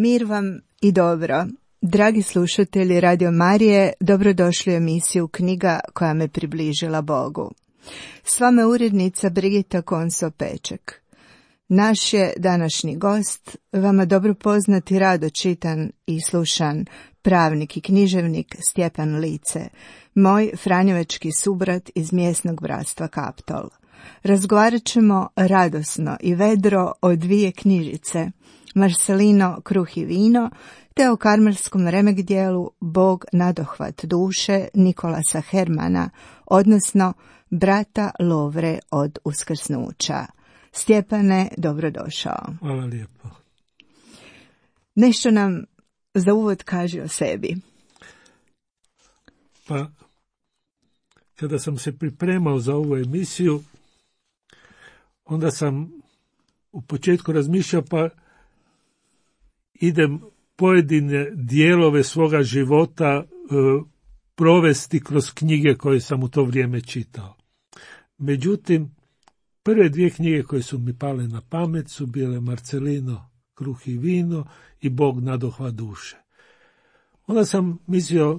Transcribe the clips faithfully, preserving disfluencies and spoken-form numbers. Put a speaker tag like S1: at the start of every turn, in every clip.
S1: Mir vam i dobro. Dragi slušatelji Radio Marije, dobrodošli u emisiju Knjiga koja me približila Bogu. S vama je urednica Brigita Konso-Peček. Naš je današnji gost, vama dobro poznati, rado čitan i slušan pravnik i književnik Stjepan Lice, moj franjevački subrat iz mjesnog bratstva Kaptol. Razgovarat ćemo radosno i vedro o dvije knjižice, Marcelino Kruh i vino, te o karmelskom remek dijelu Bog nadohvat duše Nikolasa Hermana, odnosno brata Lovre od uskrsnuća. Stjepane, dobrodošao.
S2: Hvala lijepo.
S1: Nešto nam za uvod kaži o sebi.
S2: Pa, kada sam se pripremao za ovu emisiju, onda sam u početku razmišljao, pa idem pojedine dijelove svoga života e, provesti kroz knjige koje sam u to vrijeme čitao. Međutim, prve dvije knjige koje su mi pale na pamet su bile Marcelino Kruh i vino i Bog nadohvat duše. Onda sam mislio,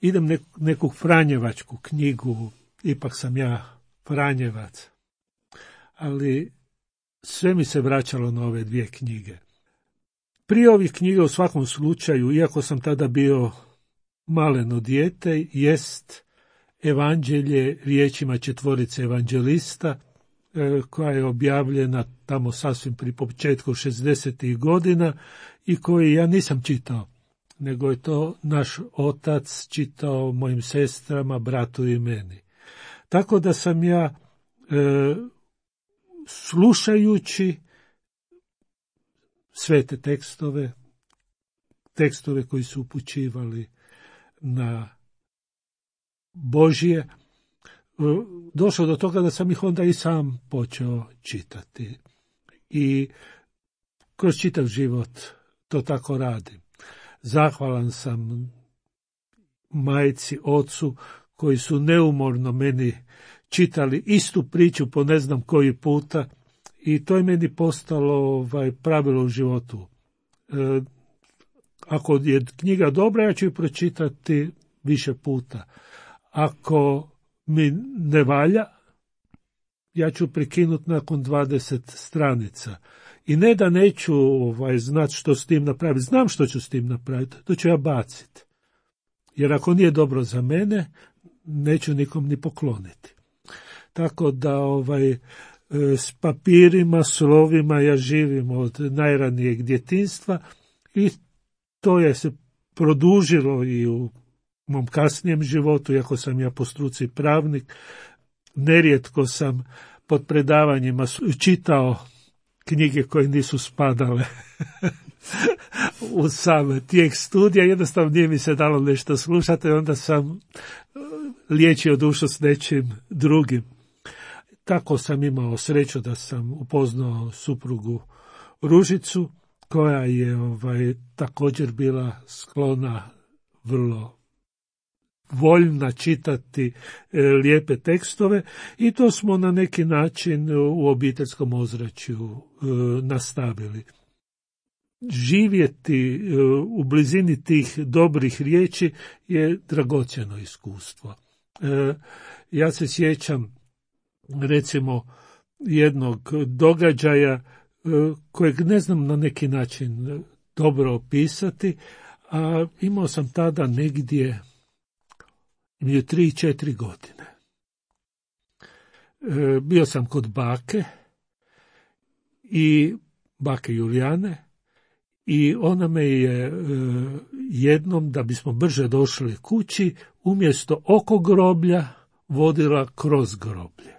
S2: idem nek, neku franjevačku knjigu, ipak sam ja franjevac, ali sve mi se vraćalo na ove dvije knjige. Prije ovih knjiga u svakom slučaju, iako sam tada bio maleno dijete, jest Evanđelje riječima četvorice evanđelista, koja je objavljena tamo sasvim pri početku šezdesetih godina i koji ja nisam čitao, nego je to naš otac čitao mojim sestrama, bratu i meni. Tako da sam ja e, slušajući sve te tekstove, tekstove koji su upućivali na Božje, došao do toga da sam ih onda i sam počeo čitati. I kroz čitav život to tako radim. Zahvalan sam majci, ocu, koji su neumorno meni čitali istu priču po ne znam koji puta, i to je meni postalo ovaj, pravilo u životu. E, ako je knjiga dobra, ja ću ju pročitati više puta. Ako mi ne valja, ja ću prekinuti nakon dvadeset stranica. I ne da neću ovaj, znati što s tim napraviti. Znam što ću s tim napraviti. To ću ja baciti. Jer ako nije dobro za mene, neću nikom ni pokloniti. Tako da ovaj, s papirima, slovima ja živim od najranijeg djetinjstva i to je se produžilo i u mom kasnijem životu, iako sam ja po struci pravnik. Nerijetko sam pod predavanjima čitao knjige koje nisu spadale u sam tijek studija, jednostavno nije mi se dalo nešto slušati, onda sam liječio dušu s nečim drugim. Tako sam imao sreću da sam upoznao suprugu Ružicu, koja je ovaj, također bila sklona, vrlo voljna čitati e, lijepe tekstove, i to smo na neki način u obiteljskom ozračju e, nastavili. Živjeti e, u blizini tih dobrih riječi je dragocjeno iskustvo. E, ja se sjećam recimo jednog događaja e, kojeg ne znam na neki način dobro opisati, a imao sam tada negdje je tri, četiri godine. E, bio sam kod bake i bake Julijane, i ona me je e, jednom, da bismo brže došli kući, umjesto oko groblja vodila kroz groblje.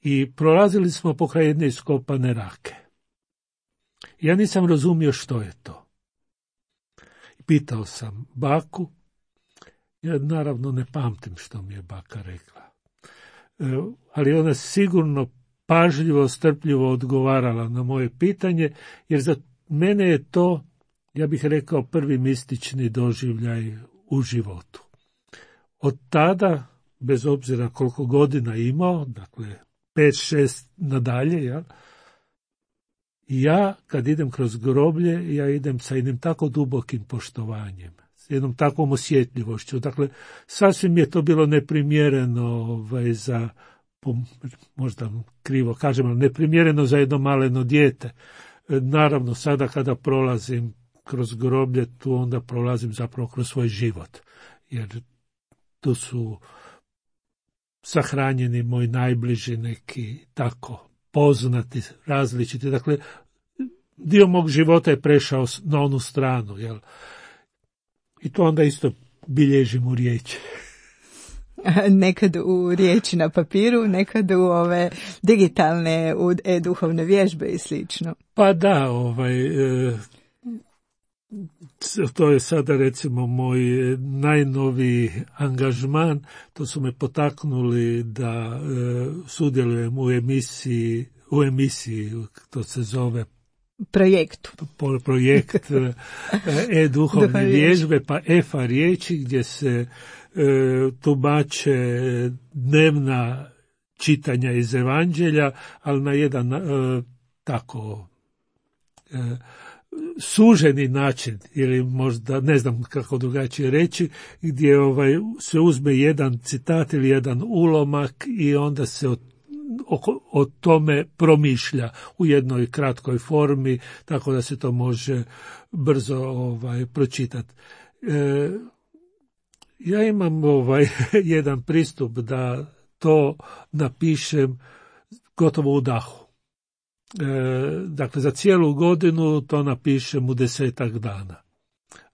S2: I prolazili smo pokraj jedne iskopane rake. Ja nisam razumio što je to. Pitao sam baku. Ja naravno ne pamtim što mi je baka rekla. E, ali ona sigurno pažljivo, strpljivo odgovarala na moje pitanje, jer za mene je to, ja bih rekao, prvi mistični doživljaj u životu. Od tada, bez obzira koliko godina imao, dakle pet, šest nadalje, ja, ja kad idem kroz groblje, ja idem sa jednim tako dubokim poštovanjem, s jednom takvom osjetljivošću. Dakle, sasvim je to bilo neprimjereno ovaj, za, možda krivo kažem, ali neprimjereno za jedno maleno dijete. Naravno, sada kada prolazim kroz groblje, tu onda prolazim zapravo kroz svoj život, jer tu su sahranjeni moji najbliži neki tako poznati, različiti. Dakle, dio mog života je prešao na onu stranu, jel? I to onda isto bilježim u riječi.
S1: Nekad u riječi na papiru, nekad u ove digitalne, u e-duhovne vježbe i slično.
S2: Pa da, ovaj, e, to je sada recimo moj najnoviji angažman. To su me potaknuli da e, sudjelujem u emisiji, u emisiji, to se zove
S1: projektu.
S2: Projekt e-duhovne vježbe, pa efa riječi, gdje se e, tumače dnevna čitanja iz Evanđelja, ali na jedan e, tako e, suženi način, ili možda ne znam kako drugačije reći, gdje ovaj, se uzme jedan citat ili jedan ulomak i onda se o, o, o tome promišlja u jednoj kratkoj formi, tako da se to može brzo ovaj, pročitati. E, ja imam ovaj, jedan pristup da to napišem gotovo u dahu. E, dakle, za cijelu godinu to napišem u desetak dana.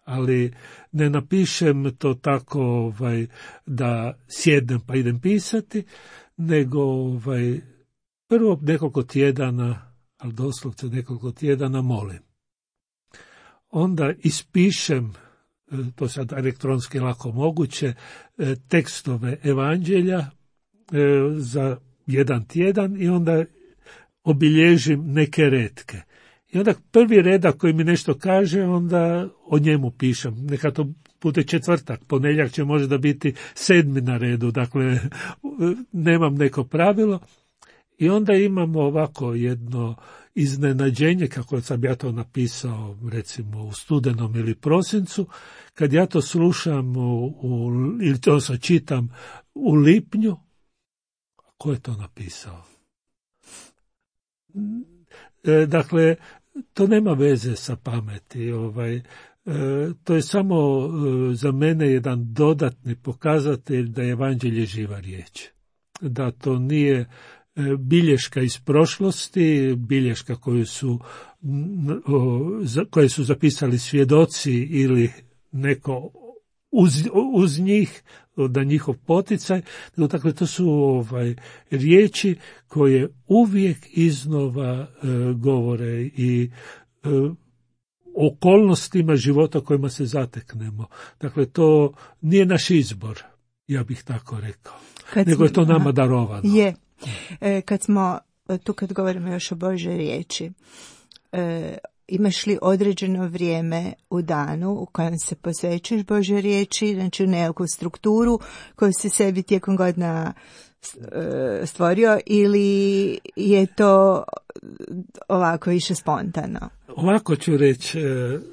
S2: Ali ne napišem to tako ovaj, da sjednem pa idem pisati, nego ovaj, prvo nekoliko tjedana, ali doslovce nekoliko tjedana molim. Onda ispišem, to sad elektronski lako moguće, tekstove Evanđelja za jedan tjedan i onda obilježim neke retke. I onda prvi redak koji mi nešto kaže, onda o njemu pišem. Neka to bude četvrtak, ponedjeljak će možda biti sedmi na redu, dakle nemam neko pravilo. I onda imamo ovako jedno iznenađenje, kako sam ja to napisao recimo u studenom ili prosincu, kad ja to slušam u, u, ili to se čitam u lipnju, ko je to napisao? E, dakle, to nema veze sa pameti. Ovaj, e, to je samo e, za mene jedan dodatni pokazatelj da je Evanđelje živa riječ. Da to nije e, bilješka iz prošlosti, bilješka koju su, o, za, koje su zapisali svjedoci ili neko uz, uz njih, da njihov poticaj, dakle to su ovaj, riječi koje uvijek iznova e, govore i e, okolnostima života kojima se zateknemo. Dakle, to nije naš izbor, ja bih tako rekao, kad nego je to nama aha, darovano.
S1: Je. E, kad smo, tu kad govorimo još o Božoj riječi, e, imaš li određeno vrijeme u danu u kojem se posvećuješ Božoj riječi, znači u nekakvu strukturu koju si sebi tijekom godina stvorio, ili je to ovako više spontano?
S2: Ovako ću reći,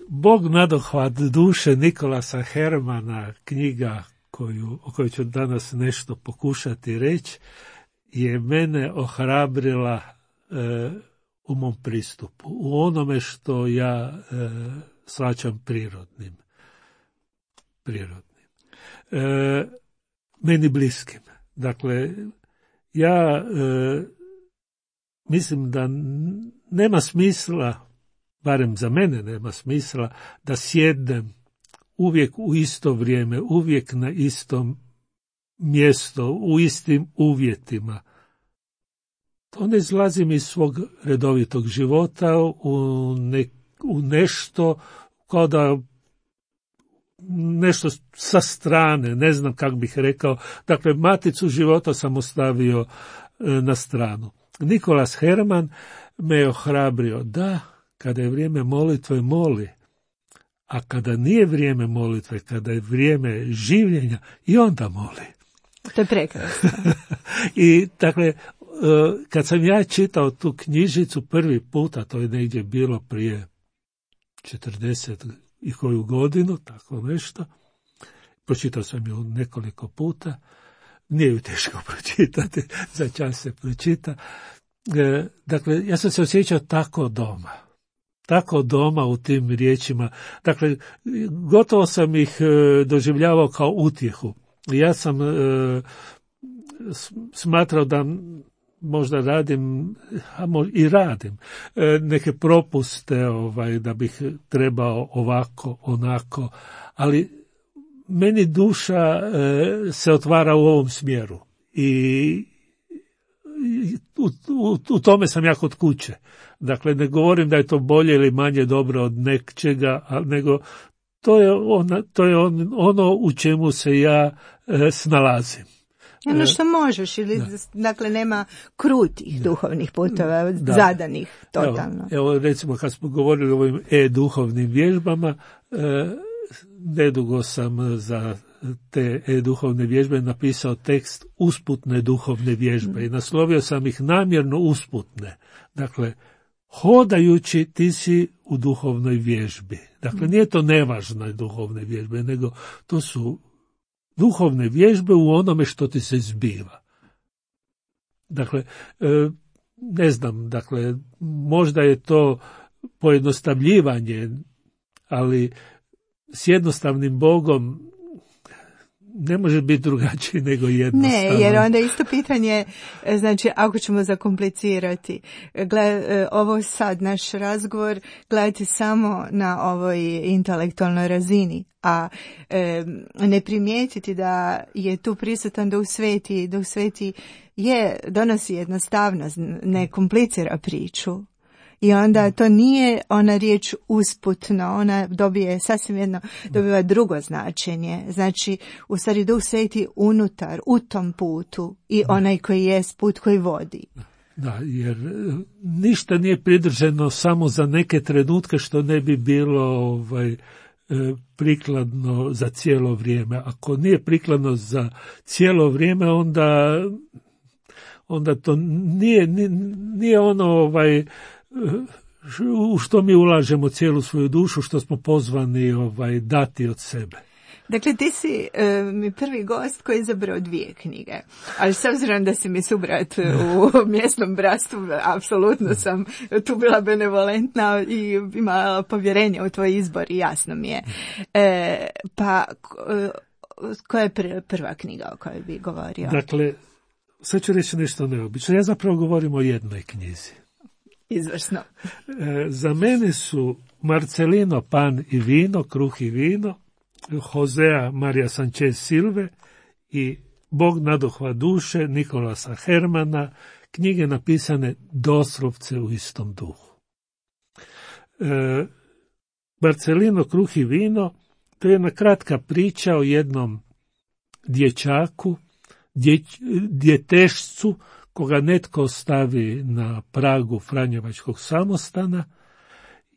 S2: Bog nadohvat duše Nikolasa Hermana, knjiga koju, o kojoj ću danas nešto pokušati reći, je mene ohrabrila e, u mom pristupu, u onome što ja e, shvaćam prirodnim. Prirodnim. E, meni bliskim. Dakle, ja e, mislim da nema smisla, barem za mene nema smisla, da sjednem uvijek u isto vrijeme, uvijek na istom mjesto, u istim uvjetima. Onda izlazim iz svog redovitog života u, ne, u nešto kao da nešto sa strane, ne znam kako bih rekao. Dakle, maticu života sam ostavio e, na stranu. Nikolas Herman me je ohrabrio da kada je vrijeme molitve moli, a kada nije vrijeme molitve, kada je vrijeme življenja, i onda moli.
S1: To je prekrasno.
S2: I dakle, kad sam ja čitao tu knjižicu prvi puta, to je negdje bilo prije četrdeset i koju godinu, tako nešto, pročitao sam ju nekoliko puta, nije ju teško pročitati, za čas se pročita. Dakle, ja sam se osjećao tako doma. Tako doma u tim riječima. Dakle, gotovo sam ih doživljavao kao utjehu. Ja sam e, smatrao da možda radim, a možda i radim, e, neke propuste, ovaj, da bih trebao ovako, onako, ali meni duša e, se otvara u ovom smjeru i U, u, u tome sam ja kod kuće. Dakle, ne govorim da je to bolje ili manje dobro od nečega, nego to je, ona, to je on, ono u čemu se ja e, snalazim.
S1: Ono što možeš, ili, da. Dakle, nema krutih da. duhovnih putova, da. zadanih totalno.
S2: Evo, evo, recimo, kad smo govorili o ovim e-duhovnim vježbama, e, nedugo sam za te e-duhovne vježbe napisao tekst usputne duhovne vježbe i naslovio sam ih namjerno usputne. Dakle, hodajući ti si u duhovnoj vježbi. Dakle, nije to nevažne duhovne vježbe, nego to su duhovne vježbe u onome što ti se zbiva. Dakle, ne znam, dakle, možda je to pojednostavljivanje, ali s jednostavnim Bogom ne može biti drugačiji nego jednostavno.
S1: Ne, jer onda isto pitanje, znači ako ćemo zakomplicirati, gled, ovo sad naš razgovor gledati samo na ovoj intelektualnoj razini, a e, ne primijetiti da je tu prisutan Duh Sveti, Duh Sveti je, donosi jednostavnost, ne komplicira priču. I onda to nije ona riječ usputno, ona dobije sasvim jedno, dobiva drugo značenje. Znači, u stvari Duh Sveti unutar, u tom putu i onaj koji je put koji vodi.
S2: Da, jer ništa nije pridrženo samo za neke trenutke što ne bi bilo ovaj, prikladno za cijelo vrijeme. Ako nije prikladno za cijelo vrijeme, onda, onda to nije, nije ono ovaj, u što mi ulažemo cijelu svoju dušu, što smo pozvani ovaj, dati od sebe.
S1: Dakle, ti si e, mi prvi gost koji je izabrao dvije knjige, ali s obzirom da si mi subrat u mjesnom bratstvu, apsolutno sam tu bila benevolentna i imala povjerenje u tvoj izbor i jasno mi je. E, pa, koja je prva knjiga o kojoj bi govorio?
S2: Dakle, sad ću reći nešto neobično. Ja zapravo govorim o jednoj knjizi.
S1: Izvrsno.
S2: E, za mene su Marcelino Pan i vino, kruh i vino, Josea Maria Sanchez Silve i Bog naduhva duše Nikolasa Hermana, knjige napisane doslovce u istom duhu. E, Marcelino, kruh i vino, to je jedna kratka priča o jednom dječaku, dje, djetešcu, koga netko stavi na pragu Franjevačkog samostana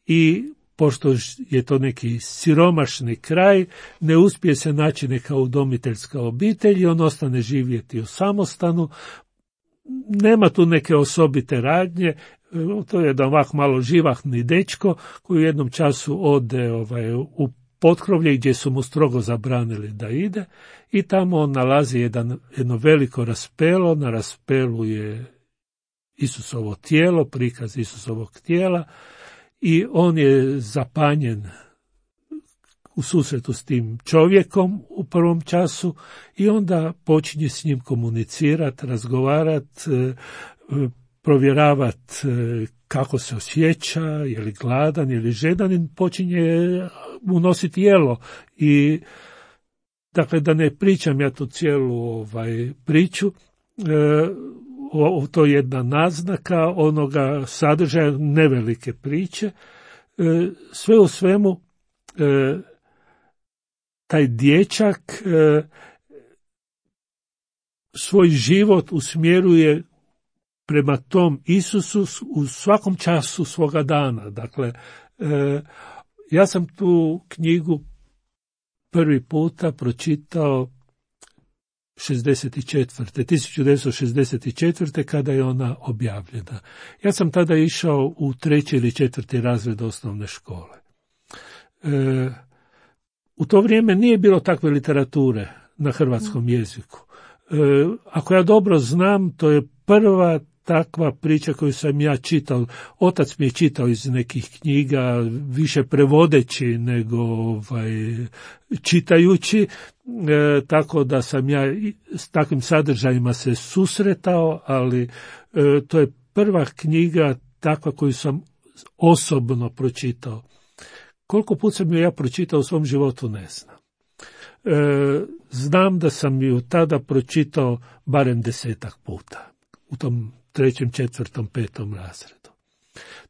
S2: i pošto je to neki siromašni kraj, ne uspije se naći neka udomiteljska obitelj i on ostane živjeti u samostanu. Nema tu neke osobite radnje, to je jedan ovako malo živahni dečko koji u jednom času ode ovaj, u potkrovlje gdje su mu strogo zabranili da ide i tamo on nalazi jedan, jedno veliko raspelo, na raspelu je Isusovo tijelo, prikaz Isusovog tijela i on je zapanjen u susretu s tim čovjekom u prvom času i onda počinje s njim komunicirati, razgovarati, provjeravati kako se osjeća, je li gladan, je li žedan i počinje unositi jelo. I dakle, da ne pričam ja tu cijelu ovaj, priču, o, to je jedna naznaka onoga sadržaja nevelike priče. Sve u svemu, taj dječak svoj život usmjeruje prema tom Isusu u svakom času svoga dana. Dakle, ja sam tu knjigu prvi puta pročitao šezdeset četvrte. tisuću devetsto šezdeset četvrte. kada je ona objavljena. Ja sam tada išao u treći ili četvrti razred osnovne škole. E, u to vrijeme nije bilo takve literature na hrvatskom jeziku. E, ako ja dobro znam, to je prva takva priča koju sam ja čitao. Otac mi je čitao iz nekih knjiga, više prevodeći nego ovaj, čitajući, e, tako da sam ja s takvim sadržajima se susretao, ali e, to je prva knjiga takva koju sam osobno pročitao. Koliko put sam ju ja pročitao u svom životu, ne znam. E, znam da sam ju tada pročitao barem desetak puta, u tom trećem, četvrtom, petom razredu.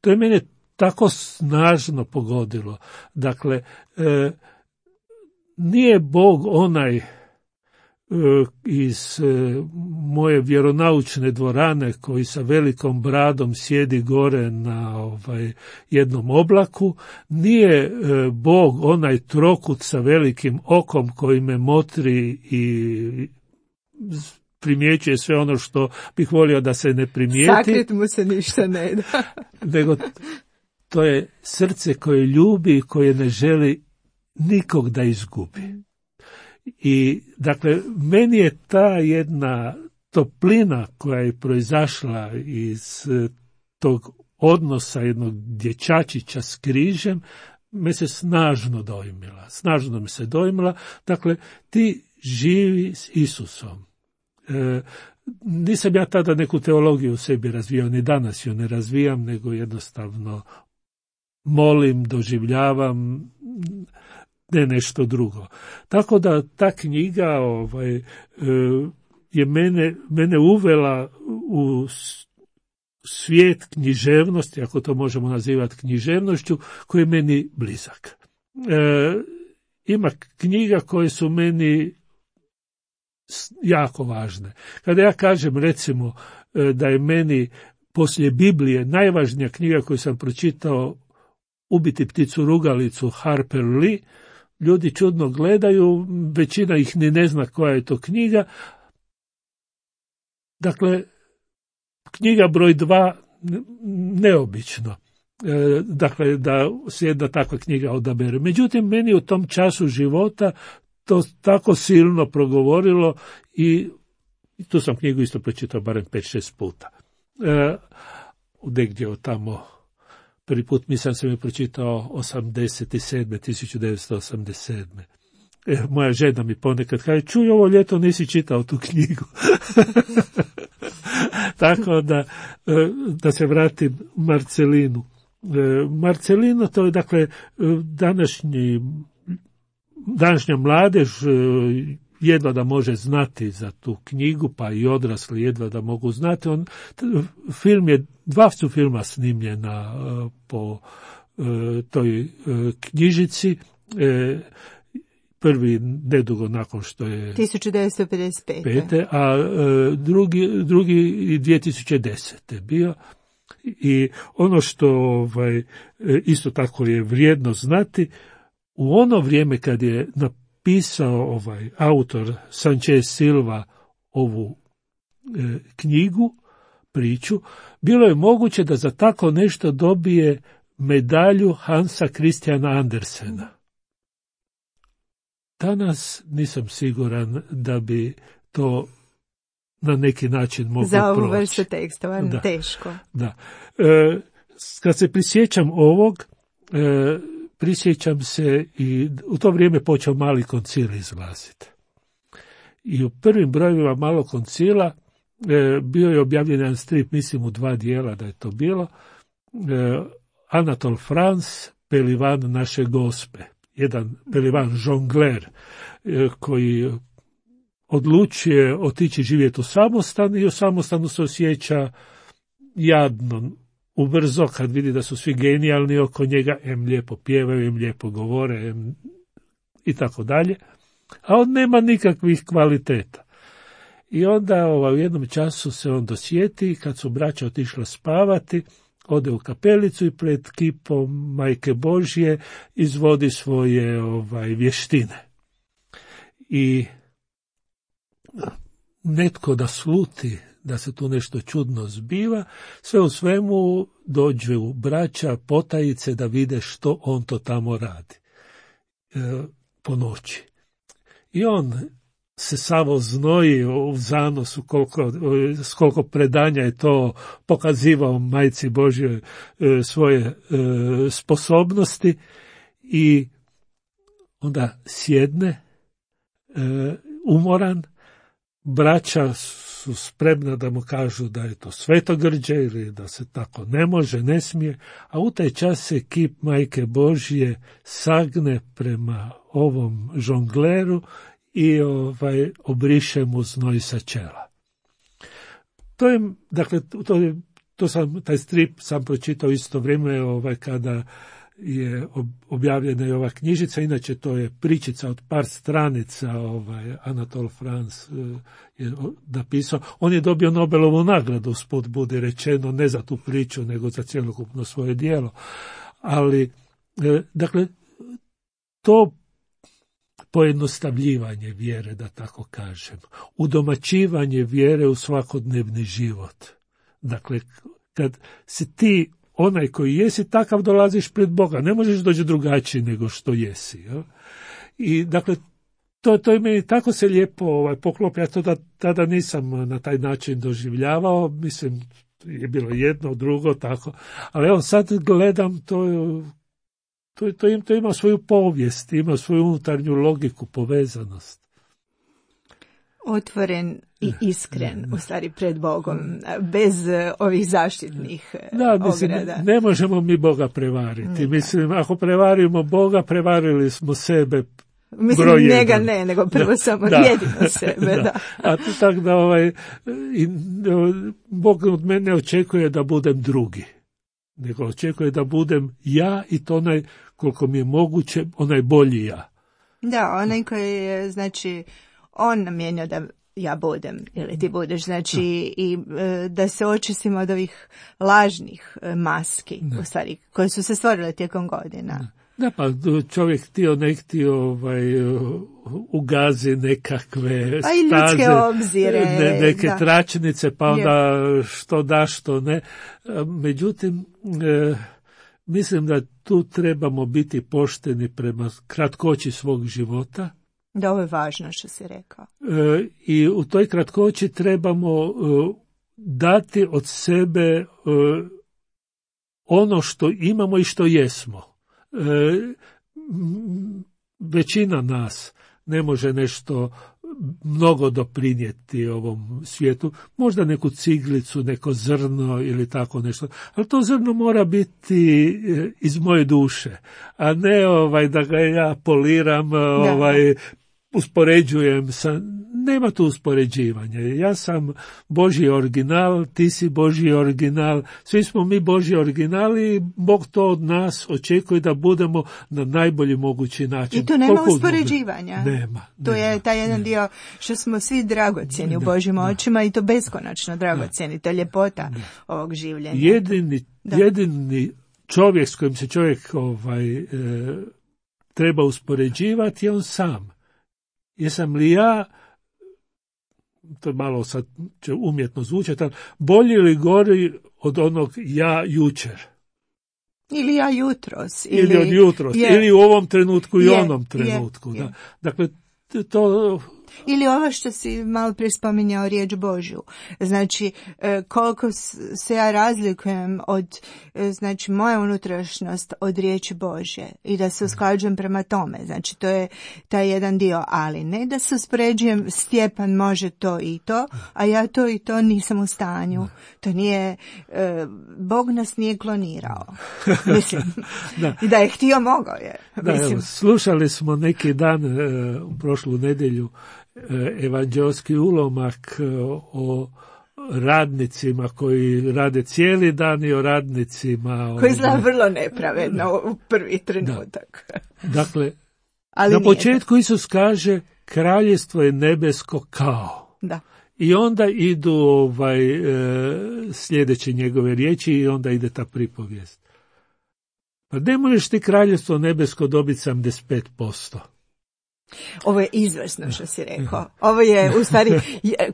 S2: To je mene tako snažno pogodilo. Dakle, e, nije Bog onaj e, iz e, moje vjeronaučne dvorane koji sa velikom bradom sjedi gore na ovaj, jednom oblaku, nije e, Bog onaj trokut sa velikim okom koji me motri i primjećuje sve ono što bih volio da se ne primijeti.
S1: Sakrit mu se ništa ne da.
S2: Nego to je srce koje ljubi i koje ne želi nikog da izgubi. I dakle, meni je ta jedna toplina koja je proizašla iz tog odnosa jednog dječačića s križem, me se snažno dojmila. Snažno me se dojmila. Dakle, ti živi s Isusom. E, nisam ja tada neku teologiju u sebi razvijao, ni danas ju ne razvijam, nego jednostavno molim, doživljavam, ne nešto drugo. Tako da ta knjiga ovaj, e, je mene, mene uvela u svijet književnosti, ako to možemo nazivati književnošću, koji je meni blizak. E, ima knjiga koje su meni jako važne. Kada ja kažem, recimo, da je meni poslije Biblije najvažnija knjiga koju sam pročitao Ubiti pticu rugalicu Harper Lee, ljudi čudno gledaju, većina ih ni ne zna koja je to knjiga. Dakle, knjiga broj dva, neobično. Dakle, da se jedna takva knjiga odabere. Međutim, meni u tom času života to tako silno progovorilo i tu sam knjigu isto pročitao barem pet šest puta. E, negdje od tamo, prvi put mislim sam je pročitao osamdeset sedme. tisuću devetsto osamdeset sedme. E, moja žena mi ponekad kaže, čuj, ovo ljeto nisi čitao tu knjigu. Tako da, da se vratim Marcelinu. Marcelino, to je dakle današnji današnja mladež jedva da može znati za tu knjigu, pa i odrasli jedva da mogu znati. On, film je, dva su filma snimljena uh, po uh, toj uh, knjižici. Uh, prvi nedugo nakon što je
S1: tisuću devetsto pedeset pete.
S2: a uh, drugi, drugi dvije tisuće desete bio. I ono što ovaj, isto tako je vrijedno znati, u ono vrijeme kad je napisao ovaj autor Sanchez Silva ovu e, knjigu, priču, bilo je moguće da za tako nešto dobije medalju Hansa Christiana Andersena. Danas nisam siguran da bi to na neki način moglo proći.
S1: Za ovu vrstu tekstova, da, teško.
S2: Da. E, kad se prisjećam ovog, e, prisjećam se i u to vrijeme počeo Mali koncil izlaziti. I u prvim brojevima Malog koncila e, bio je objavljen jedan strip, mislim u dva dijela da je to bilo, e, Anatole France, Pelivan naše gospe. Jedan Pelivan žongler e, koji odlučuje otići živjeti u samostan i u samostanu se osjeća jadno, ubrzo kad vidi da su svi genijalni oko njega, em lijepo pjevaju, em lijepo govore, em i tako dalje, a on nema nikakvih kvaliteta. I onda ovaj, u jednom času se on dosjeti, kad su braća otišla spavati, ode u kapelicu i pred kipom Majke Božje izvodi svoje ovaj, vještine. I netko da sluti da se tu nešto čudno zbiva, sve u svemu dođu braća potajice da vide što on to tamo radi e, po noći. I on se samo znoji u zanosu koliko, s koliko predanja je to pokazivao majci Božjoj e, svoje e, sposobnosti i onda sjedne e, umoran, braća su spremna da mu kažu da je to svetogrđe ili da se tako ne može, ne smije, a u taj čas se kip majke Božje sagne prema ovom žongleru i ovaj, obriše mu znoj sa čela. To je, dakle, to, je, to sam, taj strip sam pročitao isto vrijeme ovaj, kada je objavljena i ova knjižica, inače to je pričica od par stranica, ovaj, Anatole France je napisao. On je dobio Nobelovu nagradu, usput bude rečeno, ne za tu priču, nego za cjelokupno svoje djelo. Ali, dakle, to pojednostavljivanje vjere, da tako kažem, udomaćivanje vjere u svakodnevni život. Dakle, kad si ti onaj koji jesi, takav dolaziš pred Boga. Ne možeš doći drugačiji nego što jesi. Ja? I dakle, to, to je meni tako se lijepo ovaj, poklopi. Ja to da, tada nisam na taj način doživljavao. Mislim, je bilo jedno, drugo, tako. Ali evo sad gledam, to, to, to, im, to ima svoju povijest, ima svoju unutarnju logiku, povezanost.
S1: Otvoren i iskren, u stvari pred Bogom, bez ovih zaštitnih
S2: da, mislim,
S1: ograda.
S2: Ne možemo mi Boga prevariti. Nikad. Mislim, ako prevarimo Boga, prevarili smo sebe.
S1: Mislim,
S2: broj
S1: njega
S2: jedan.
S1: ne, nego prvo
S2: da,
S1: samo
S2: da,
S1: jedino sebe. Da.
S2: Da. A to tako da ovaj, i, Bog od mene očekuje da budem drugi. Nego očekuje da budem ja i to onaj, koliko mi je moguće, onaj bolji ja.
S1: Da, onaj koji je, znači, on namijenio da ja budem, ili ti budeš, znači, i e, da se očistimo od ovih lažnih e, maski, da. U stvari, koje su se stvorile tijekom godina.
S2: Da. Da, pa čovjek htio ne htio ovaj, ugazi nekakve
S1: a i ljudske
S2: staze,
S1: obzire,
S2: ne, neke
S1: da.
S2: tračnice, pa onda što da, što ne. Međutim, e, mislim da tu trebamo biti pošteni prema kratkoći svog života.
S1: Da, ovo je važno što si rekao.
S2: E, I u toj kratkoći trebamo e, dati od sebe e, ono što imamo i što jesmo. E, većina nas ne može nešto mnogo doprinijeti ovom svijetu, možda neku ciglicu, neko zrno ili tako nešto, ali to zrno mora biti iz moje duše, a ne ovaj da ga ja poliram, ovaj uspoređujem sa, nema tu uspoređivanja. Ja sam Božji original, ti si Božji original, svi smo mi Božji originali i Bog to od nas očekuje da budemo na najbolji mogući način.
S1: I tu nema koliko uspoređivanja.
S2: Nema.
S1: To
S2: nema,
S1: je taj jedan nema. Dio što smo svi dragocjeni u Božjim da, očima i to beskonačno dragocjeni. To je ljepota da. Ovog življenja.
S2: Jedini, jedini čovjek s kojim se čovjek ovaj, e, treba uspoređivati je on sam. Jesam li ja, to malo sad će umjetno zvučati, bolji ili gori od onog ja jučer?
S1: Ili ja jutros.
S2: Ili, ili od jutros, je, ili u ovom trenutku i je, onom trenutku. Je, da. Je. Dakle, to...
S1: Ili ovo što si malo prije spominjao, riječ Božju. Znači, koliko se ja razlikujem od, znači, moja unutrašnjost od riječi Božje i da se usklađujem prema tome. Znači, to je taj jedan dio, ali ne da se uspoređujem, Stjepan može to i to, a ja to i to nisam u stanju. To nije, Bog nas nije klonirao. Mislim, da. I da je htio, mogao je.
S2: Da, evo, slušali smo neki dan, u prošlu nedjelju, evanđelski ulomak o radnicima koji rade cijeli dan i o radnicima
S1: koji izgleda vrlo nepravedno u prvi trenutak.
S2: Da. Dakle, ali na početku Isus kaže kraljevstvo je nebesko kao.
S1: Da.
S2: I onda idu ovaj, sljedeće njegove riječi i onda ide ta pripovijest. Pa ne možeš ti kraljevstvo nebesko dobiti sedamdeset pet posto.
S1: Ovo je izvrsno što si rekao. Ovo je u stvari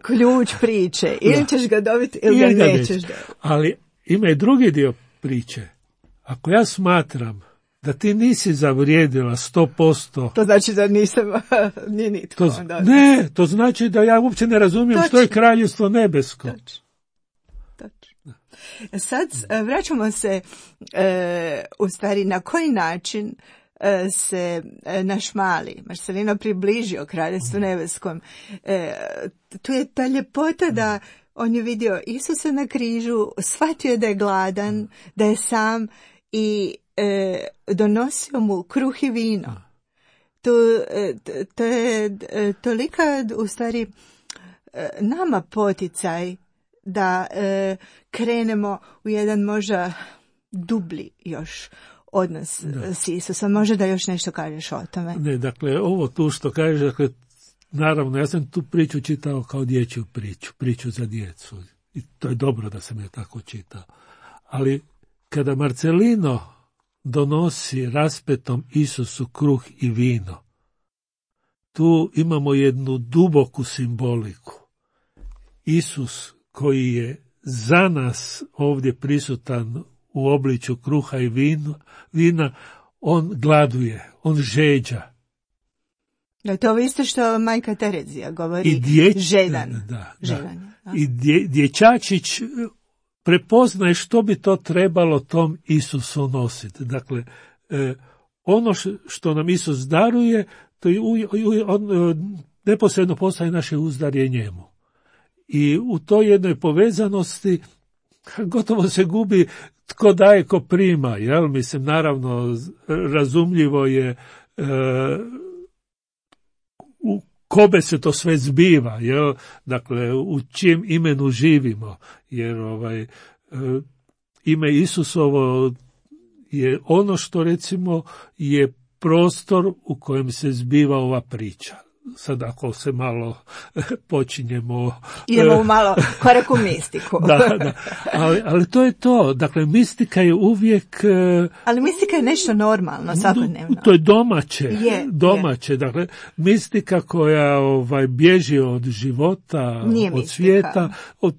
S1: ključ priče. Ili ćeš ga dobiti ili ga nećeš dobiti.
S2: Ali ima i drugi dio priče. Ako ja smatram da ti nisi zavrijedila sto posto...
S1: To znači da nisam ni nitko.
S2: To, ne, to znači da ja uopće ne razumijem Točno. Što je kraljevstvo nebesko.
S1: Točno. Točno. Sad vraćamo se e, u stvari na koji način e, se e, naš mali Marcelino približio kraljevstvu nebeskom. E, tu je ta ljepota da on je vidio Isusa na križu, shvatio da je gladan, da je sam i e, donosio mu kruh i vino. To, e, to je e, tolika u stvari e, nama poticaj da e, krenemo u jedan možda dublji još odnos da. S Isusom. Možda da još nešto kažeš o tome.
S2: Ne, dakle, ovo tu što kažeš, dakle, naravno, ja sam tu priču čitao kao dječju priču, priču za djecu. I to je dobro da sam je tako čitao. Ali kada Marcelino donosi raspetom Isusu kruh i vino, tu imamo jednu duboku simboliku. Isus koji je za nas ovdje prisutan u obličju kruha i vino, vina, on gladuje, on žeđa.
S1: Da, to isto što majka Terezija govori,
S2: I dječ...
S1: žedan.
S2: Da,
S1: žedan.
S2: Da. I dje, dječačić prepoznaje što bi to trebalo tom Isusu nositi. Dakle, eh, ono što nam Isus daruje, to je u, u, on neposredno postaje naše uzdarje njemu. I u toj jednoj povezanosti gotovo se gubi tko daje, ko prima. Jel? Mislim, naravno, razumljivo je eh, u kobe se to sve zbiva, jel? Dakle, u čijem imenu živimo, jer ovaj, e, ime Isusovo je ono što, recimo, je prostor u kojem se zbiva ova priča. Sad ako se malo počinjemo...
S1: Idemo u malo korak u mistiku.
S2: da, da. Ali, ali to je to. Dakle, mistika je uvijek...
S1: Ali mistika je nešto normalno, svakodnevno.
S2: To je domaće.
S1: Je,
S2: domaće.
S1: Je.
S2: Dakle, mistika koja ovaj, bježi od života,
S1: Nije
S2: od
S1: mistika.
S2: svijeta. Od...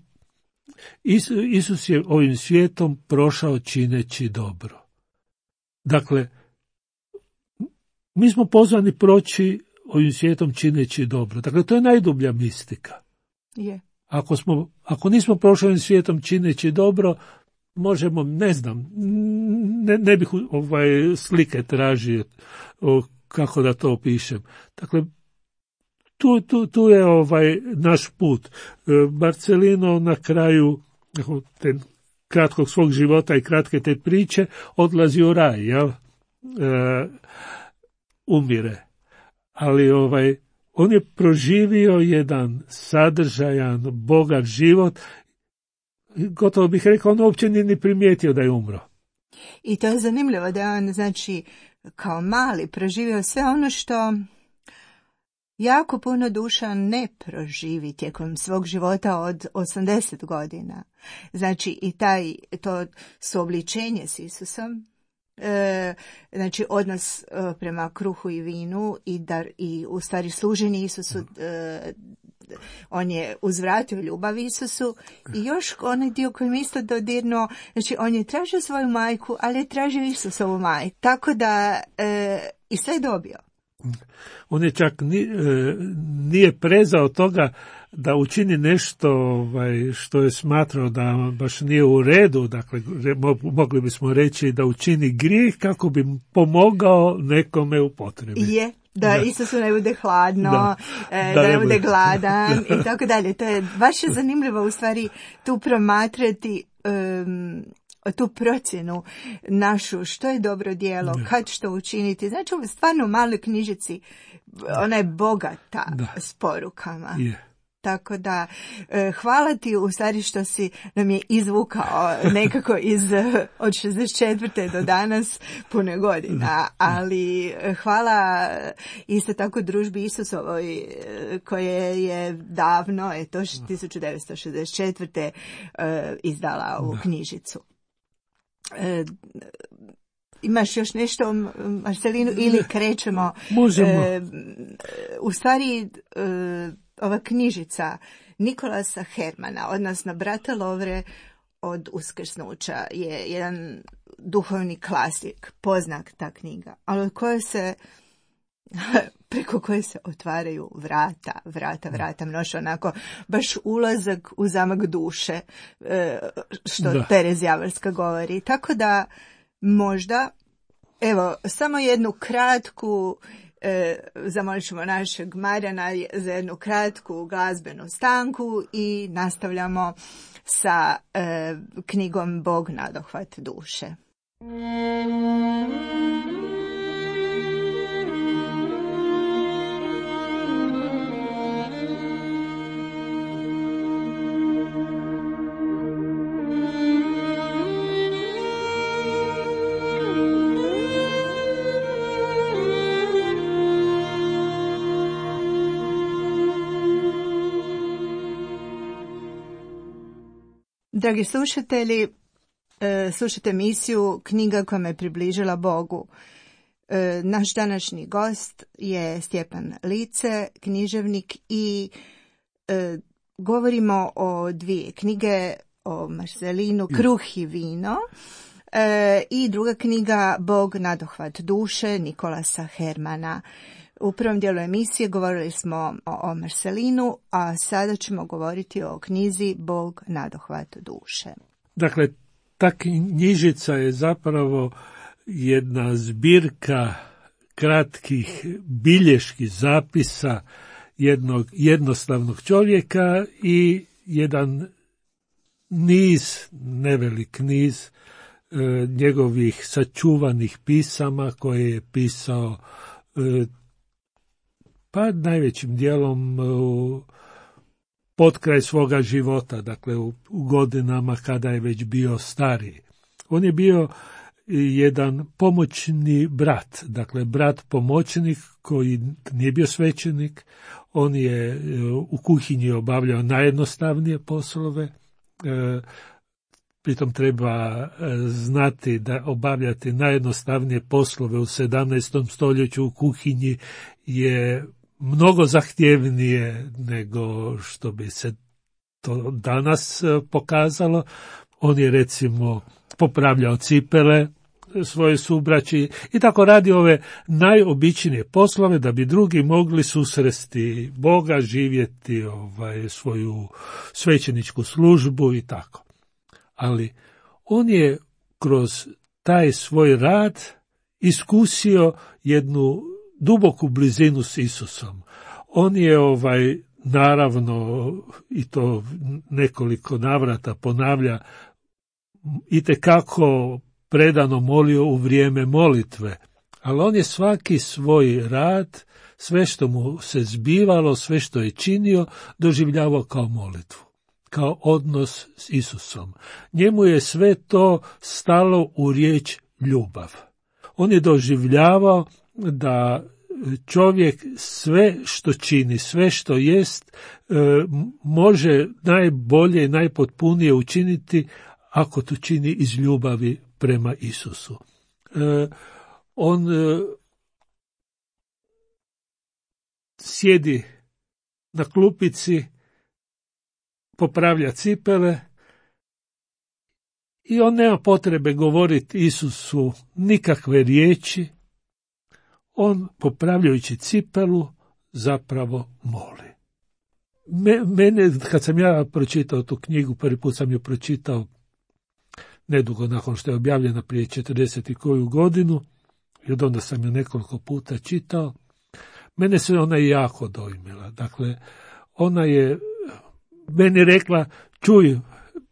S2: Is, Isus je ovim svijetom prošao čineći dobro. Dakle, mi smo pozvani proći ovim svijetom čineći dobro. Dakle, to je najdublja mistika.
S1: Je.
S2: Ako, smo, ako nismo prošli ovim svijetom čineći dobro, možemo, ne znam, ne, ne bih ovaj, slike tražio o, kako da to opišem. Dakle, tu, tu, tu je ovaj naš put. Marcelino na kraju te kratkog svog života i kratke te priče odlazi u raj, jel? E, umire. Ali ovaj, on je proživio jedan sadržajan, bogat život. Gotovo bih rekao, on uopće nije ni primijetio da je umro.
S1: I to je zanimljivo da je on, znači, kao mali proživio sve ono što jako puno duša ne proživi tijekom svog života od osamdeset godina. Znači, i taj, to suobličenje s Isusom, E, znači odnos e, prema kruhu i vinu i, dar, i u stvari služenje Isusu, e, on je uzvratio ljubav Isusu i još onaj dio koji mi isto dodirnuo, znači on je tražio svoju majku, ali je tražio Isusovu majku, tako da e, i sve je dobio.
S2: On je čak ni, nije prezao toga da učini nešto ovaj, što je smatrao da baš nije u redu, dakle mogli bismo reći da učini grijeh kako bi pomogao nekome u potrebi.
S1: Je, da, da. Isusu ne bude hladno, da, e, da, da ne bude gladan i tako dalje. To je baš je zanimljivo u stvari tu promatrati um, tu procjenu našu, što je dobro djelo, da. Kad što učiniti. Znači, u stvarno maloj knjižici, ona je bogata da. S porukama. Je. Tako da, hvala ti u stvari što si nam je izvukao nekako iz, od šezdeset četvrte do danas puno godina, ali hvala isto tako družbi Isusovoj koje je davno, eto tisuću devetsto šezdeset četvrte izdala ovu knjižicu. Imaš još nešto o Marcelinu ili krećemo?
S2: Možemo.
S1: E, u stvari, e, ova knjižica Nikolasa Hermana, odnosno Brata Lovre od uskrsnuća, je jedan duhovni klasik, poznak ta knjiga, ali od koje se, preko koje se otvaraju vrata, vrata, vrata, mnoš onako, baš ulazak u zamak duše, što da. Terez Javorska govori. Tako da, možda, evo, samo jednu kratku, e, zamolit ćemo našeg Marijana za jednu kratku glazbenu stanku i nastavljamo sa e, knjigom Bog nadohvat duše. Dragi slušatelji, slušate emisiju Knjiga koja me približila Bogu. Naš današnji gost je Stjepan Lice, književnik, i govorimo o dvije knjige, o Marcelinu, Kruh i vino, i druga knjiga Bog nadohvat duše Nikolasa Hermana. U prvom dijelu emisije govorili smo o Marcelinu, a sada ćemo govoriti o knjizi Bog nadohvat duše.
S2: Dakle, ta knjižica je zapravo jedna zbirka kratkih biljeških zapisa jednog jednostavnog čovjeka i jedan niz, nevelik niz e, njegovih sačuvanih pisama koje je pisao e, pa najvećim dijelom u potkraj svoga života, dakle u, u godinama kada je već bio stariji. On je bio jedan pomoćni brat, dakle brat pomoćnik koji nije bio svećenik. On je u kuhinji obavljao najjednostavnije poslove. Pritom treba znati da obavljati najjednostavnije poslove u sedamnaestom stoljeću u kuhinji je mnogo zahtjevnije nego što bi se to danas pokazalo. On je recimo popravljao cipele svoje subraći i tako radi ove najobičnije poslove da bi drugi mogli susresti Boga, živjeti ovaj, svoju svećeničku službu i tako. Ali on je kroz taj svoj rad iskusio jednu duboku blizinu s Isusom. On je ovaj naravno, i to nekoliko navrata ponavlja, itekako predano molio u vrijeme molitve, ali on je svaki svoj rad, sve što mu se zbivalo, sve što je činio, doživljavao kao molitvu, kao odnos s Isusom. Njemu je sve to stalo u riječ ljubav. On je doživljavao da čovjek sve što čini, sve što jest, može najbolje i najpotpunije učiniti ako to čini iz ljubavi prema Isusu. On sjedi na klupici, popravlja cipele i on nema potrebe govoriti Isusu nikakve riječi. On, popravljajući cipelu, zapravo moli. Mene, kad sam ja pročitao tu knjigu, prvi put sam ju pročitao nedugo nakon što je objavljena prije četrdeset i koju godinu, i od onda sam ju nekoliko puta čitao, mene se ona jako dojmila. Dakle, ona je meni rekla, čuj,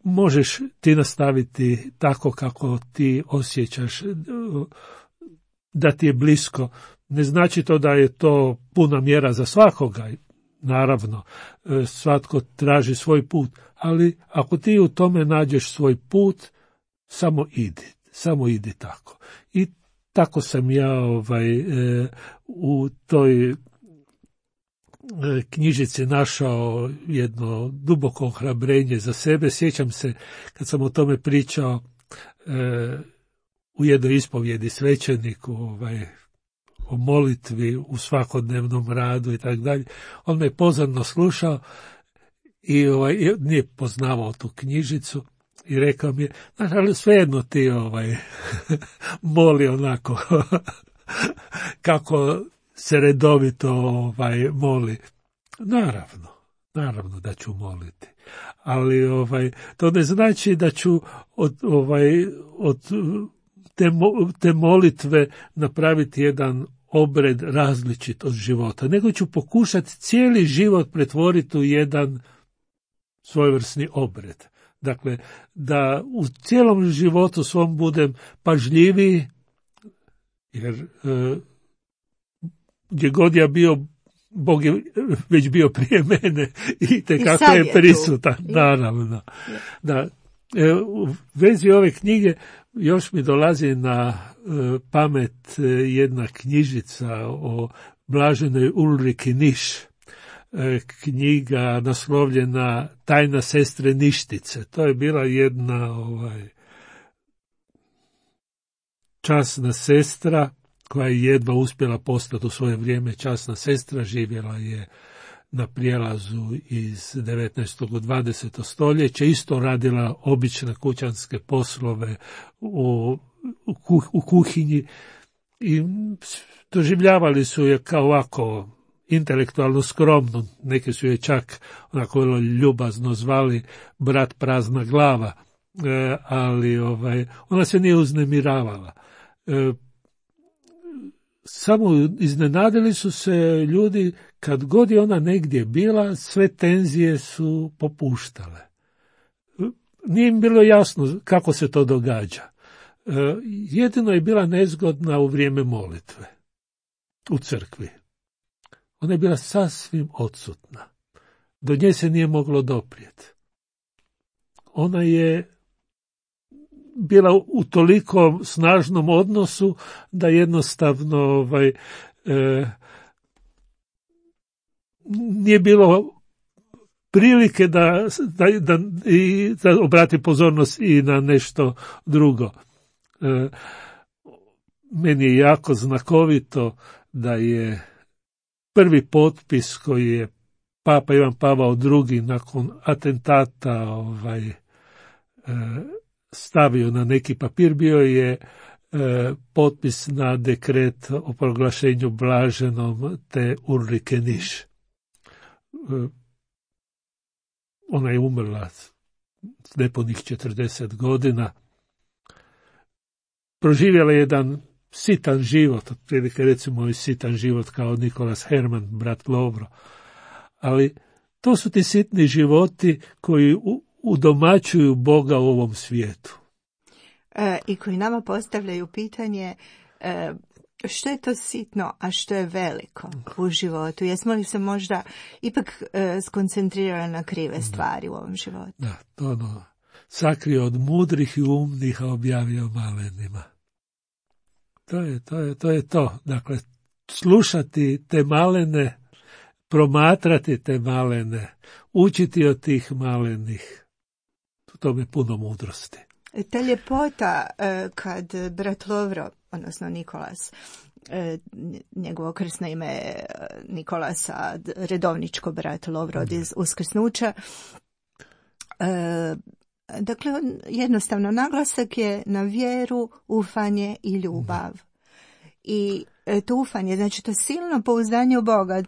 S2: možeš ti nastaviti tako kako ti osjećaš da ti je blisko. Ne znači to da je to puna mjera za svakoga, naravno, svatko traži svoj put, ali ako ti u tome nađeš svoj put, samo idi, samo idi tako. I tako sam ja ovaj, u toj knjižici našao jedno duboko ohrabrenje za sebe. Sjećam se kad sam o tome pričao u jednoj ispovjedi svećeniku, ovaj, o molitvi u svakodnevnom radu i tako dalje. On me pozorno slušao i ovaj, nije poznavao tu knjižicu i rekao mi je, znaš, ali svejedno ti ovaj, moli onako kako se redovito ovaj, moli. Naravno, naravno da ću moliti. Ali ovaj, to ne znači da ću od, ovaj, od te, te molitve napraviti jedan obred različit od života, nego ću pokušati cijeli život pretvoriti u jedan svojevrsni obred. Dakle, da u cijelom životu svom budem pažljiviji, jer e, gdje god ja bio, Bog je već bio prije mene i tekako je, je prisutan, naravno. Da, e, u vezi ove knjige još mi dolazi na e, pamet jedna knjižica o blaženoj Ulriki Niš, e, knjiga naslovljena Tajna sestre Ništice. To je bila jedna ovaj, časna sestra koja je jedva uspjela postati u svoje vrijeme časna sestra, živjela je na prijelazu iz devetnaestog u dvadeseto stoljeće, isto radila obične kućanske poslove u, u, kuh, u kuhinji i doživljavali su je kao ovako intelektualno skromnu, neki su je čak onako ljubazno zvali brat prazna glava, e, ali ovaj, ona se nije uznemiravala. E, Samo iznenadili su se ljudi, kad god je ona negdje bila, sve tenzije su popuštale. Nije im bilo jasno kako se to događa. Jedino je bila nezgodna u vrijeme molitve, u crkvi. Ona je bila sasvim odsutna. Do nje se nije moglo doprijeti. Ona je bila u toliko snažnom odnosu da jednostavno ovaj, e, nije bilo prilike da, da, da, i, da obrati pozornost i na nešto drugo. E, meni je jako znakovito da je prvi potpis koji je Papa Ivan Pavao drugi nakon atentata ovaj, e, stavio na neki papir, bio je e, potpis na dekret o proglašenju blaženom te Ulrike Niš. E, ona je umrla s nepunih četrdeset godina. Proživjela jedan sitan život, otprilike recimo i sitan život kao Nikolas Herman, brat Lovro. Ali to su ti sitni životi koji u, udomaćuju Boga u ovom svijetu.
S1: E, I koji nama postavljaju pitanje e, što je to sitno, a što je veliko u životu. Jesmo li se možda ipak e, skoncentrirali na krive stvari da. U ovom životu?
S2: Da, to ono, sakrio od mudrih i umnih, a objavio malenima. To je to. Je, to, je to. Dakle, slušati te malene, promatrati te malene, učiti od tih malenih. To mi je puno mudrosti.
S1: Ta ljepota kad brat Lovro, odnosno Nikolas, njegovo krsno ime je Nikolasa, redovničko brat Lovro od uskrsnuća, dakle jednostavno naglasak je na vjeru, ufanje i ljubav. I to ufanje, znači to silno pouzdanje u Boga.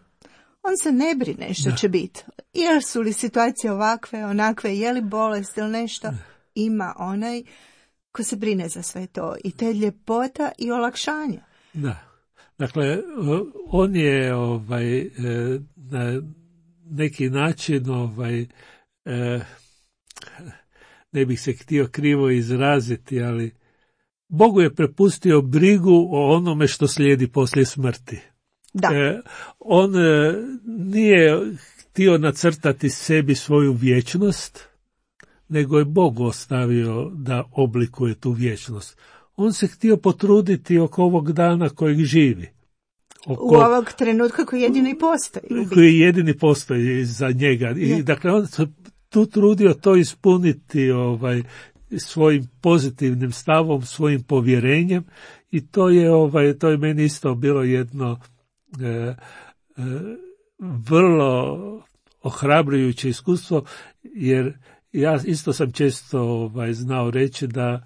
S1: On se ne brine što da. Će biti. Jer su li situacije ovakve, onakve, je li bolest ili nešto, ima onaj ko se brine za sve to. I te ljepota i olakšanja.
S2: Da. Dakle, on je ovaj, na neki način, ovaj, ne bih se htio krivo izraziti, ali Bogu je prepustio brigu o onome što slijedi poslije smrti.
S1: Da.
S2: E, on e, nije htio nacrtati sebi svoju vječnost, nego je Bog ostavio da oblikuje tu vječnost. On se htio potruditi oko ovog dana kojeg živi. Oko,
S1: u ovog trenutka koji jedini postoji.
S2: Koji jedini postoji za njega. I, dakle, on se tu trudio to ispuniti ovaj, svojim pozitivnim stavom, svojim povjerenjem i to je, ovaj, to je meni isto bilo jedno e, e, vrlo ohrabrujuće iskustvo, jer ja isto sam često ovaj, znao reći da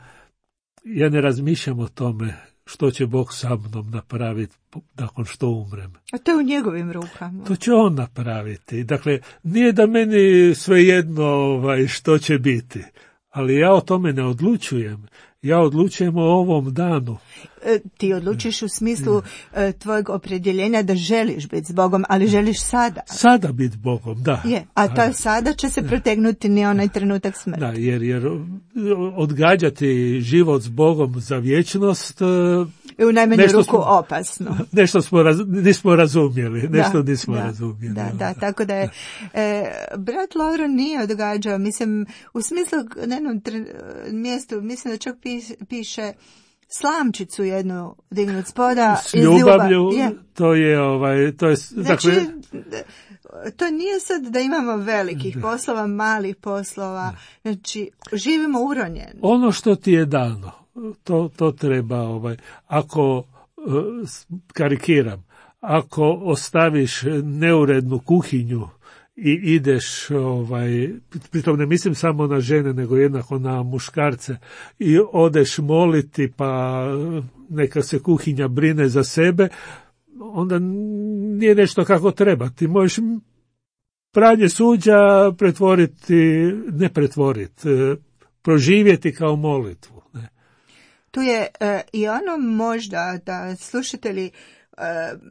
S2: ja ne razmišljam o tome što će Bog sa mnom napraviti nakon što umrem.
S1: A to je u njegovim rukama.
S2: To će on napraviti. Dakle, nije da meni svejedno ovaj, što će biti, ali ja o tome ne odlučujem. Ja odlučujem o ovom danu.
S1: E, ti odlučiš u smislu e, tvojeg opredjeljenja da želiš biti s Bogom, ali želiš sada.
S2: Sada biti Bogom, da.
S1: Je, a ta sada će se protegnuti ni onaj trenutak smrti.
S2: Da, jer, jer odgađati život s Bogom za vječnost
S1: je u najmanju
S2: nešto
S1: ruku
S2: smo,
S1: opasno.
S2: Nešto smo raz, nismo razumjeli, nešto
S1: da,
S2: nismo
S1: da,
S2: razumjeli.
S1: Da, da, tako da je e, brat Lovro nije odgađao, mislim, u smislu na jednom tre, mjestu, mislim da čak piše, piše slamčicu jednu dignut spoda
S2: s ljubavlju, je. to je ovaj, to je,
S1: znači,
S2: dakle,
S1: to nije sad da imamo velikih da. poslova, malih poslova, da. znači živimo uronjeno.
S2: Ono što ti je dano, to, to treba, ovaj, ako karikiram, ako ostaviš neurednu kuhinju i ideš, ovaj, pritom ne mislim samo na žene, nego jednako na muškarce, i odeš moliti pa neka se kuhinja brine za sebe, onda nije nešto kako treba. Ti možeš pranje suđa pretvoriti, ne pretvoriti, proživjeti kao molitvu. Ne?
S1: Tu je uh, i ono možda da slušatelji uh,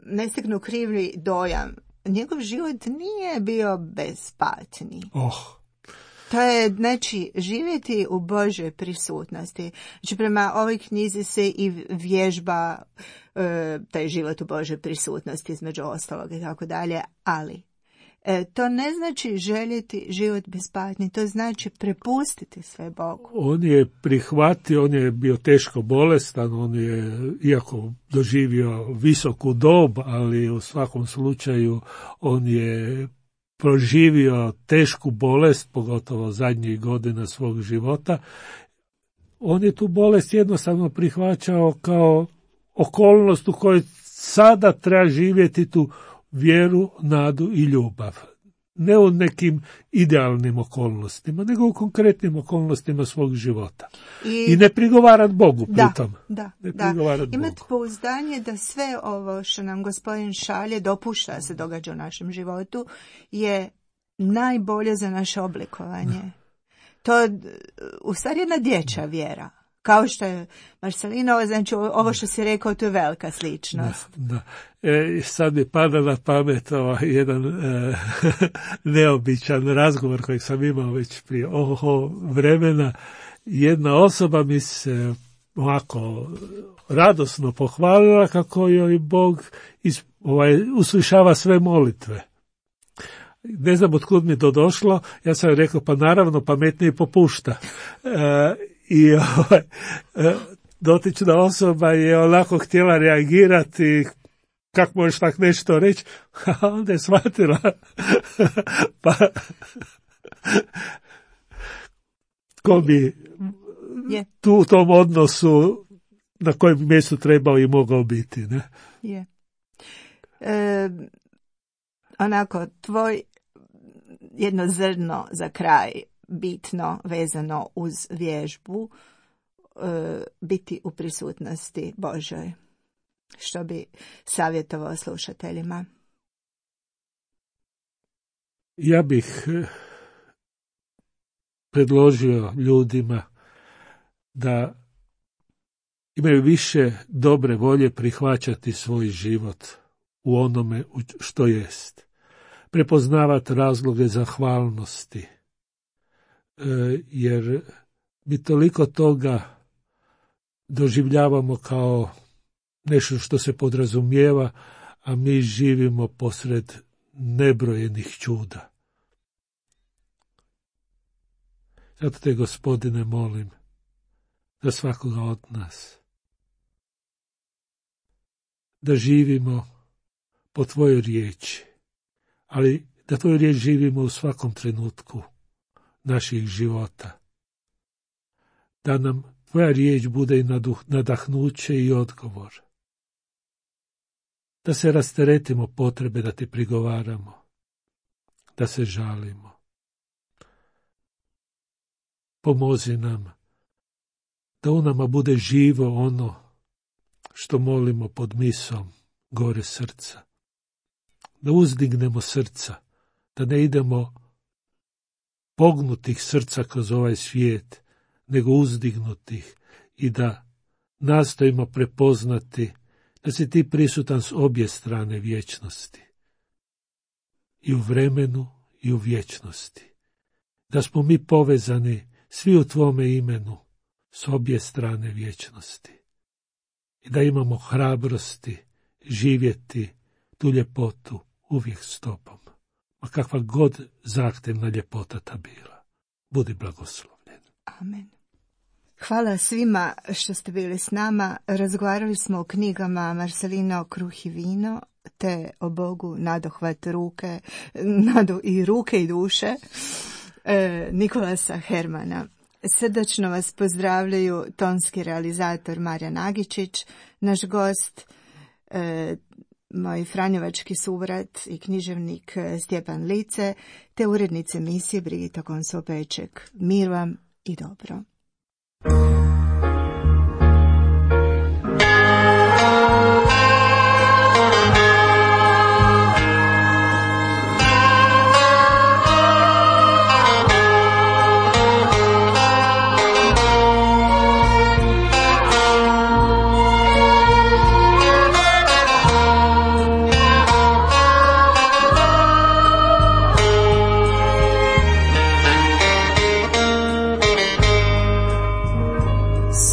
S1: ne steknu krivi dojam. Njegov život nije bio bezpatni.
S2: Oh.
S1: To je, znači, živjeti u Božoj prisutnosti. Znači, prema ovoj knjizi se i vježba e, taj život u Božoj prisutnosti, između ostalog i tako dalje, ali e, to ne znači željeti život bez patnje, to znači prepustiti sve Bogu.
S2: On je prihvatio, on je bio teško bolestan, on je, iako doživio visoku dob, ali u svakom slučaju on je proživio tešku bolest, pogotovo zadnjih godina svog života. On je tu bolest jednostavno prihvaćao kao okolnost u kojoj sada treba živjeti tu vjeru, nadu i ljubav. Ne u nekim idealnim okolnostima, nego u konkretnim okolnostima svog života. I, I ne prigovarat Bogu pritom.
S1: Da, da, da. Imati pouzdanje da sve ovo što nam Gospodin šalje, dopušta se događa u našem životu, je najbolje za naše oblikovanje. Da. To je u stvari jedna dječja vjera. Kao što je Marcelino, znači ovo što si rekao, to je velika sličnost.
S2: Da, da. E, sad mi pada na pamet ovaj jedan e, neobičan razgovor kojeg sam imao već prije oho vremena. Jedna osoba mi se ovako radosno pohvalila kako joj Bog is, ovaj, uslišava sve molitve. Ne znam otkud mi to došlo, ja sam rekao pa naravno pametnije popušta. E, I ovaj, dotična osoba je onako htjela reagirati, kako možeš tak nešto reći, a onda je shvatila. Pa, ko bi
S1: yeah.
S2: tu u tom odnosu na kojem mjestu trebao i mogao biti. Ne?
S1: Yeah. E, onako, tvoj jedno zrno za kraj, bitno vezano uz vježbu, e, biti u prisutnosti Božoj. Što bi savjetovao slušateljima?
S2: Ja bih predložio ljudima da imaju više dobre volje prihvaćati svoj život u onome što jest. Prepoznavati razloge zahvalnosti. Jer mi toliko toga doživljavamo kao nešto što se podrazumijeva, a mi živimo posred nebrojenih čuda. Zato te, Gospodine, molim za svakoga od nas da živimo po tvojoj riječi, ali da tvoju riječ živimo u svakom trenutku naših života. da nam tvoja riječ bude i nadahnuće i odgovor. Da se rasteretimo potrebe da ti prigovaramo, da se žalimo. Pomozi nam da u nama bude živo ono što molimo pod misom gore srca. Da uzdignemo srca, da ne idemo pognutih srca kroz ovaj svijet, nego uzdignutih i da nastojimo prepoznati da si ti prisutan s obje strane vječnosti. I u vremenu i u vječnosti. Da smo mi povezani svi u tvome imenu s obje strane vječnosti. I da imamo hrabrosti živjeti tu ljepotu uvijek s tobom. Ma kakva god zahtjevna ljepota ta bila. Budi blagoslovljen.
S1: Amen. Hvala svima što ste bili s nama. Razgovarali smo o knjigama Marcelino Kruh i vino, te o Bogu nadohvat ruke, nadu i ruke i duše e, Nikolasa Hermana. Srdačno vas pozdravljaju tonski realizator Marijan Agičić, naš gost, e, moj franjevački suvrat i književnik Stjepan Lice, te urednice emisije Brigita Konso-Peček. Mir vam i dobro.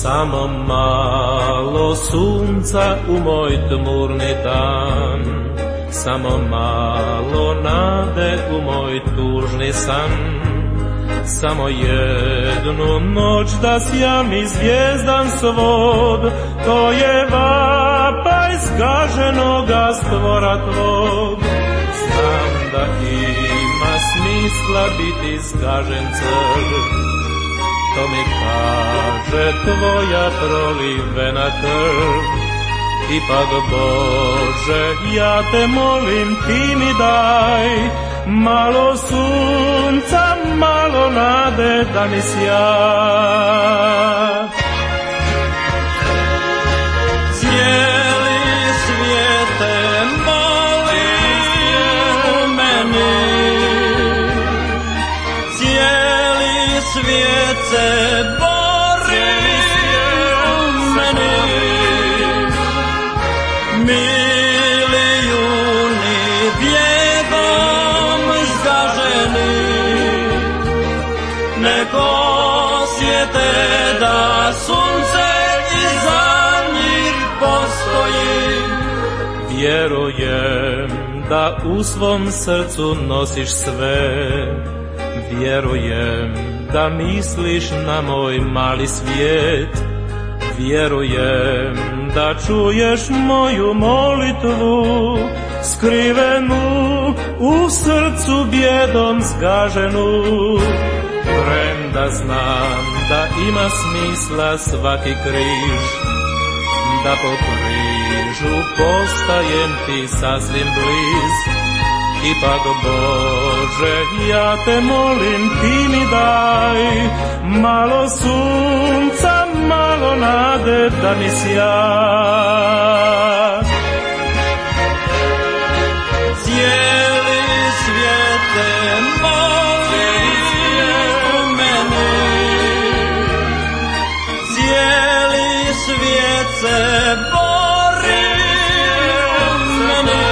S3: Samo malo sunca u moj tmurni dan, samo malo nade u moj tužni san, samo jednu noć da sjam i zvijezdan svod, to je vapaj zgaženoga stvora tvog. Znam da ima smisla biti zgažen crv, to mi kaže tvoja prolivena krv. Ipak Bože, ja te molim, ti mi daj malo sunca, malo nade da mi sja. Cijeli svijet te moli u meni, cijeli svijet se bori u meni, milijuni bjegom zgaženi, nek osjete da sunce iza njih postoji. Vjerujem da u svom srcu nosiš sve, vjerujem da misliš na moj mali svijet, vjerujem da čuješ moju molitvu, skrivenu u srcu bjedom zgaženu. Premda znam da ima smisla svaki križ, da po križu postajem ti sasvim bliz. Ipak Bože, ja te molim, ti mi daj malo sunca, malo nade da mi sja. Cijeli svijet te moli u meni, cijeli svijet se bori u meni,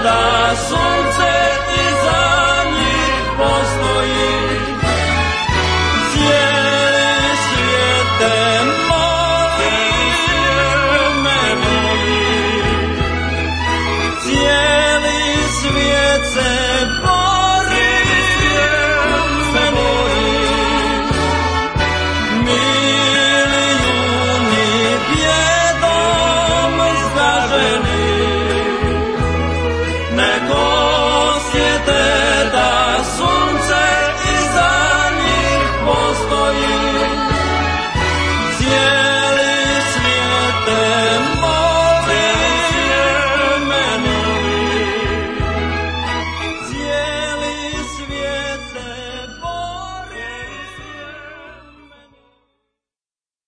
S3: da sunce iza njih postoji. Cijeli svijet te moli u meni, cijeli svijet se